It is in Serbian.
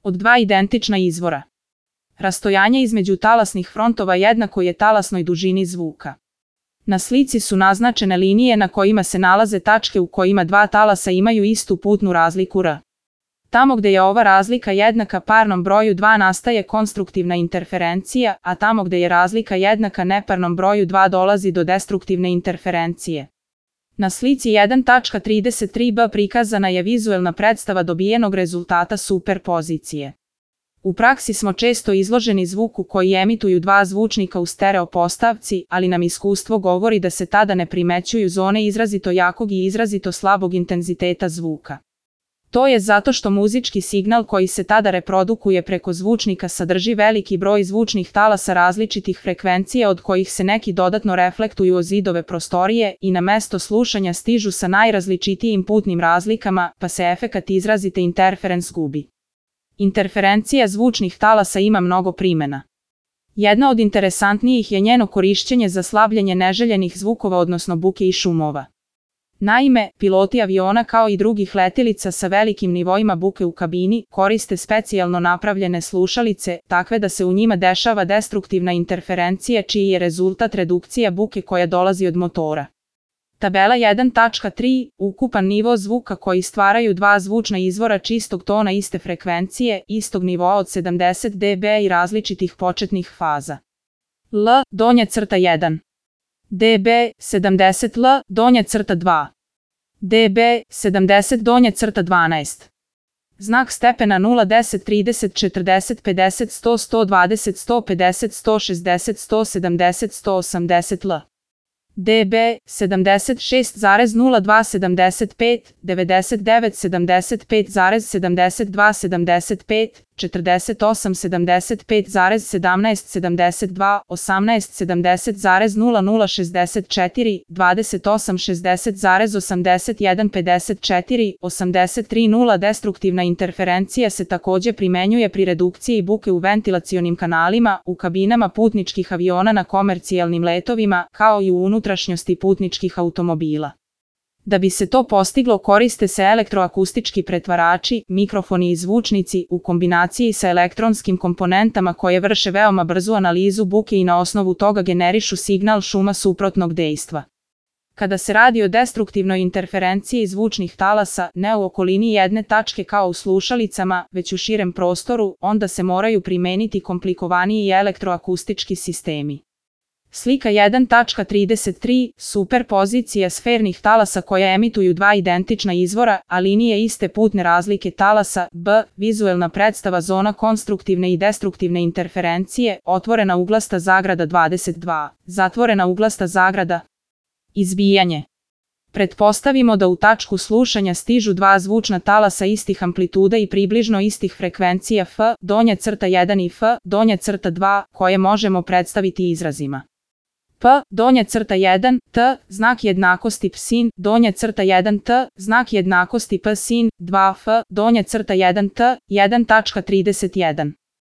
od dva identična izvora. Rastojanje između talasnih frontova jednako je talasnoj dužini zvuka. Na slici su naznačene linije na kojima se nalaze tačke u kojima dva talasa imaju istu putnu razliku r. Tamo gde je ova razlika jednaka parnom broju 2 nastaje konstruktivna interferencija, a tamo gde je razlika jednaka neparnom broju 2 dolazi do destruktivne interferencije. Na slici 1.33b prikazana je vizuelna predstava dobijenog rezultata superpozicije. U praksi smo često izloženi zvuku koji emituju dva zvučnika u stereo postavci, ali nam iskustvo govori da se tada ne primećuju zone izrazito jakog i izrazito slabog intenziteta zvuka. To je zato što muzički signal koji se tada reprodukuje preko zvučnika sadrži veliki broj zvučnih talasa različitih frekvencija od kojih se neki dodatno reflektuju o zidove prostorije i na mesto slušanja stižu sa najrazličitijim putnim razlikama, pa se efekat izrazite interferens gubi. Interferencija zvučnih talasa ima mnogo primena. Jedna od interesantnijih je njeno korišćenje za slabljenje neželjenih zvukova odnosno buke i šumova. Naime, piloti aviona kao i drugih letelica sa velikim nivoima buke u kabini koriste specijalno napravljene slušalice, takve da se u njima dešava destruktivna interferencija čiji je rezultat redukcija buke koja dolazi od motora. Tabela 1.3. Ukupan nivo zvuka koji stvaraju dva zvučna izvora čistog tona iste frekvencije, istog nivoa od 70 dB i različitih početnih faza. L, donja crta 1. dB, 70 L, donja crta 2. dB, 70 donja crta 12. Znak stepena 0, 10, 30, 40, 50, 100, 120, 150, 160, 170, 180 L. dB, 76,02, 75, 99, 75,72, 75, 48, 75,17, 72, 18, 70,00, 64, 28, 60,81, 54, 83, 0. Destruktivna interferencija se takođe primenjuje pri redukciji buke u ventilacionim kanalima, u kabinama putničkih aviona na komercijalnim letovima, kao i u unutrašnjosti putničkih automobila. Da bi se to postiglo koriste se elektroakustički pretvarači, mikrofoni i zvučnici u kombinaciji sa elektronskim komponentama koje vrše veoma brzu analizu buke i na osnovu toga generišu signal šuma suprotnog dejstva. Kada se radi o destruktivnoj interferenciji zvučnih talasa, ne u okolini jedne tačke kao u slušalicama, već u širem prostoru, onda se moraju primeniti komplikovaniji elektroakustički sistemi. Slika 1.33. Superpozicija sfernih talasa koja emituju dva identična izvora, a linije iste putne razlike talasa, b. Vizuelna predstava zona konstruktivne i destruktivne interferencije, otvorena uglasta zagrada 22, zatvorena uglasta zagrada. Izbijanje. Pretpostavimo da u tačku slušanja stižu dva zvučna talasa istih amplituda i približno istih frekvencija f, donja crta 1 i f, donja crta 2, koje možemo predstaviti izrazima. P, donja crta 1, t, znak jednakosti p sin, donja crta 1 t, znak jednakosti p sin, 2 f, donja crta 1 t, 1.31.